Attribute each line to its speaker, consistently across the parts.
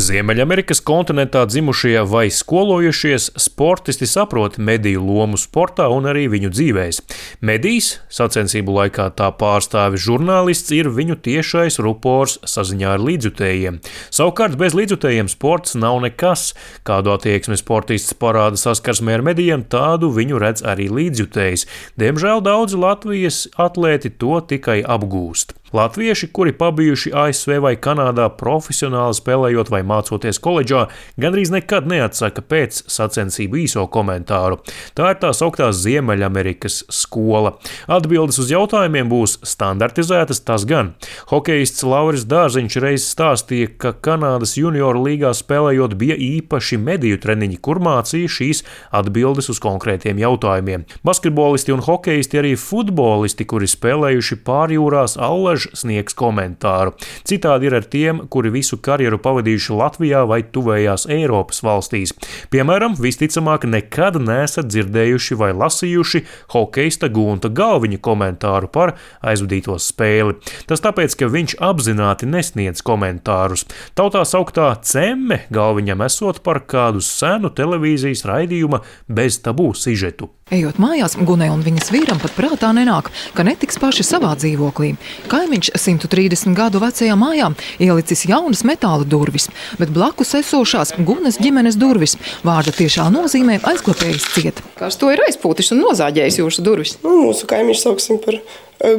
Speaker 1: Ziemeļamerikas kontinentā dzimušie vai skolojušies sportisti saprot mediju lomu sportā un arī viņu dzīvēs. Medijs, sacensību laikā tā pārstāvis žurnālists, ir viņu tiešais rupors saziņā ar līdzjutējiem. Savukārt bez līdzjutējiem sports nav nekas. Kādu attieksmi sportists parāda saskarsmē ar medijiem, tādu viņu redz arī līdzjutējs. Diemžēl daudzi Latvijas atlēti to tikai apgūst. Latvieši, kuri pabijuši ASV vai Kanādā profesionāli spēlējot vai mācoties koledžā, gandrīz nekad neatsaka pēc sacensību īso komentāru. Tā ir tā sauktā Ziemeļamerikas skola. Atbildes uz jautājumiem būs standartizētas, tas gan. Hokejists Lauris Dārziņš reiz stāstīja, ka Kanādas junioru līgā spēlējot bija īpaši mediju treniņi, kur mācīja šīs atbildes uz konkrētiem jautājumiem. Basketbolisti un hokejisti, arī futbolisti, kuri spēlējuši pārjūrās, allaž sniegs komentāru. Citādi ir ar tiem, kuri visu karjeru pavadījuši Latvijā vai tuvējās Eiropas valstīs. Piemēram, visticamāk nekad neesat dzirdējuši vai lasījuši hokejista Gunta Galviņa komentāru par aizvadīto spēli. Tas tāpēc, ka viņš apzināti nesniedz komentārus. Tautā sauktā cemme Galviņam esot par kādu senu televīzijas raidījuma bez tabū sižetu.
Speaker 2: Ejot mājās, Gunai un viņas vīram pat prātā nenāk, ka netiks paši savā dzīvoklī. Kaimiņš 130 gadu vecajā mājā ielicis jaunas metāla durvis, bet blakus esošās Gunas ģimenes durvis vārda tiešā nozīmē aizklapējis ciet.
Speaker 3: Kas to ir aizpūtis un nozāģējis jūsu durvis?
Speaker 4: Mūsu kaimiņš sauksim par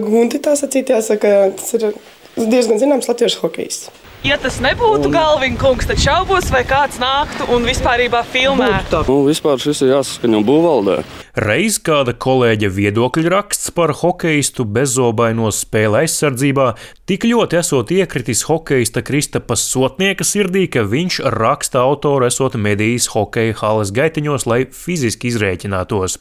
Speaker 4: Gunti, tā sacīt, jāsaka, tas ir diezgan zināms latviešu hokejists.
Speaker 5: Ja tas nebūtu Galviņa kungs, tad šaubos, vai kāds nāktu un vispārībā filmētu.
Speaker 6: Vispār šis ir jāsaskaņo būvvaldē.
Speaker 1: Reiz kāda kolēģa viedokļa raksts par hokejistu bezzobaino spēle aizsardzībā tik ļoti esot iekritis hokejista Kristapas Sotnieka sirdī, ka viņš raksta autoru esot medījis hokeja halas gaitiņos, lai fiziski izrēķinātos.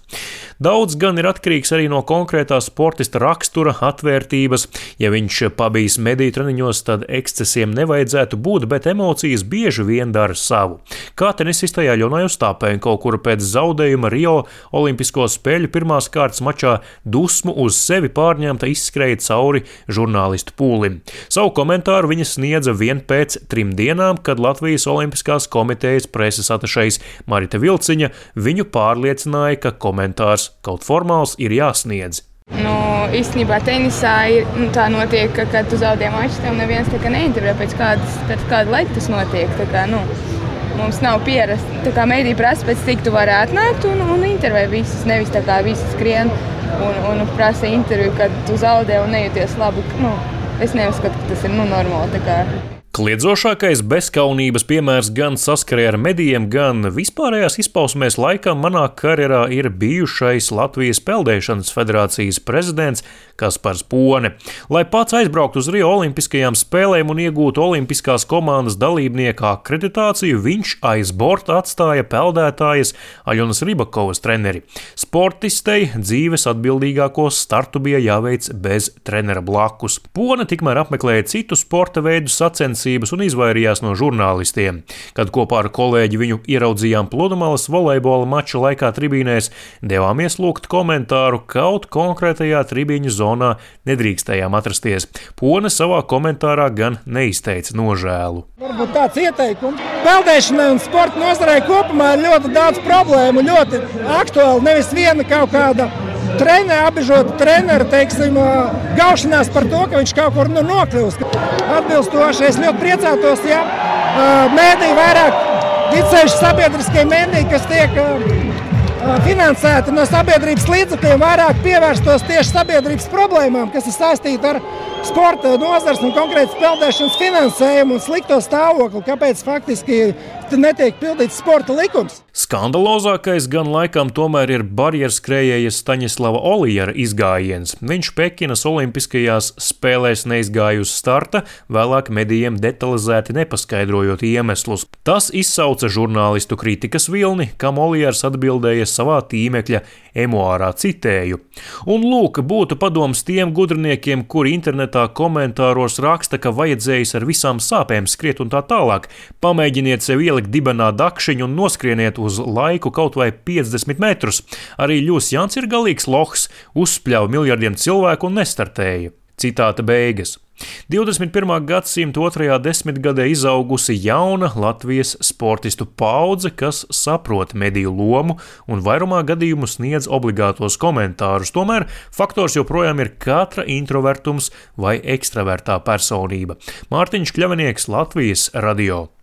Speaker 1: Daudz gan ir atkarīgs arī no konkrētā sportista rakstura, atvērtības. Ja viņš pabijis mediju treniņos, tad ekscesiem nevajadzētu būt, bet emocijas bieži vien dara savu. Kā tenisistajā Ļonai Ostāpenko, kura pēc zaudējuma Rio Olimpisko spēļu pirmās kārtas mačā dusmu uz sevi pārņemta izskrēja cauri žurnālistu pūlim. Savu komentāru viņa sniedza vien pēc 3 dienām, kad Latvijas Olimpiskās komitejas preses atašejs Marita Vilciņa viņu pārliecināja, ka komentārs kaut formāls ir jāsniedz.
Speaker 7: Īstenībā tenisā ir tā notiek, ka, kad tu zaudē maču, tev neviens neintervē pēc kāda laika tas notiek. Mums nav pierasta. Mediji prasa pēc cik tu vari atnākt un intervē visus, nevis tā kā visi skrien un prasa interviju, kad tu zaudē un nejūties labi. Es neuzskatu, ka tas ir normāli.
Speaker 1: Kliedzošākais bezkaunības piemērs gan saskarē ar medijiem, gan vispārējās izpausmēs laikam manā karjerā ir bijušais Latvijas peldēšanas federācijas prezidents Kaspars Pone. Lai pats aizbrauktu uz Rio Olimpiskajām spēlēm un iegūtu olimpiskās komandas dalībnieka akreditāciju, viņš aiz borta atstāja peldētājas Aļonas Ribakovas treneri. Sportistei dzīves atbildīgākos startu bija jāveic bez trenera blakus. Pone tikmēr apmeklēja citu sporta veidu sacensības un izvairījās no žurnālistiem. Kad kopā ar kolēģi viņu ieraudzījām Pludmalas volejbola mača laikā tribīnēs, devāmies lūgt komentāru, kaut konkrētajā tribīņu zonā nedrīkstējām atrasties. Pone savā komentārā gan neizteica nožēlu.
Speaker 8: Varbūt tāds ieteikums. Peldēšanai un sporta nozarei kopumā ir ļoti daudz problēmu, ļoti aktuāli. Nevis viena kaut kāda apbežota trenera, gaušanās par to, ka viņš kaut kur nokļūst. Atbilstoši es ļoti priecātos, ja mēdīji vairāk ticējuši sabiedriskie mēdīji, kas tiek finansēti no sabiedrības līdzekļiem, vairāk pievērstos tieši sabiedrības problēmām, kas ir saistīti ar sporta nozars un konkrēti peldēšanas finansējumu un slikto stāvokli, kāpēc faktiski netiek pildīts sporta likums.
Speaker 1: Skandalozākais gan laikam tomēr ir barjerskrējēja Staņislava Olijara izgājiens. Viņš Pekinas olimpiskajās spēlēs neizgāja uz starta, vēlāk medijiem detalizēti nepaskaidrojot iemeslus. Tas izsauca žurnālistu kritikas vilni, kam Olijars atbildēja savā tīmekļa emuārā, citēju. Un lūk, būtu padoms tiem gudriniekiem, kuri internetā komentāros raksta, ka vajadzējis ar visām sāpēm skriet un tā tālāk. Pamēģiniet sev ielikt dibenā dakšiņu un noskrieniet uz laiku kaut vai 50 metrus. Arī Ļus Jants ir galīgs lohs, uzspļauj miljardiem cilvēku un nestartēja. Citāta beigas. 21. gadsimta 2. desmitgadē izaugusi jauna Latvijas sportistu paudze, kas saprot mediju lomu un vairumā gadījumu sniedz obligātos komentārus. Tomēr faktors joprojām ir katra introvertums vai ekstravertā personība. Mārtiņš Kļavinieks, Latvijas radio.